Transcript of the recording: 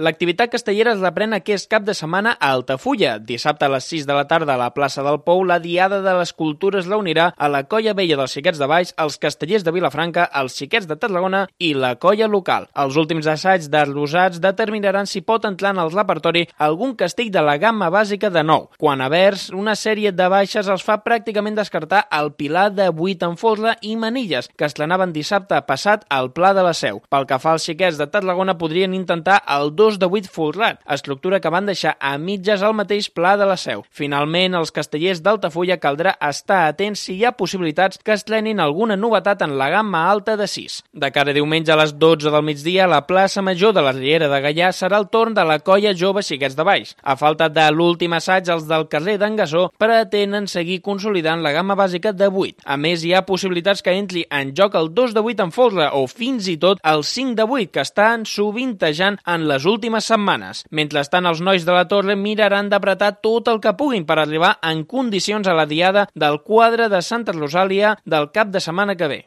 L'activitat castellera es reprèn aquest cap de setmana a Altafulla. Dissabte a les 6 de la tarda a la plaça del Pou, la Diada de les Cultures reunirà a la Colla Vella dels Xiquets de Valls, els Castellers de Vilafranca, els Xiquets de Tarragona i la colla local. Els últims assaigs d'arts rosats determinaran si pot entrar en el repertori algun castell de la gamma bàsica de nou. Quan a vers, una sèrie de baixes els fa pràcticament descartar el Pilar de 8 en folre i manilles, que estrenaven dissabte passat al Pla de la Seu. Pel que fa als Xiquets de Tarragona, podrien intentar el 2 de 8 folrat, estructura que van deixar a mitges al mateix Pla de la Seu. Finalment, els castellers d'Altafulla caldrà estar atents si hi ha possibilitats que estrenin alguna novetat en la gamma alta de 6. De cara a diumenge a les 12 del migdia, a la plaça Major de la Riera de Gaià serà el torn de la colla jove Xiquets de Valls. A falta de l'últim assaig, els del carrer d'en Gasó pretenen seguir consolidant la gamma bàsica de 8. A més, hi ha possibilitats que entri en joc el 2 de 8 en folre o fins i tot el 5 de 8 que estan sovintejant en les últimes setmanes. Mentrestant, els nois de la Torre miraran d'apretar tot el que puguin per arribar en condicions a la diada del quadre de Santa Rosàlia del cap de setmana que ve.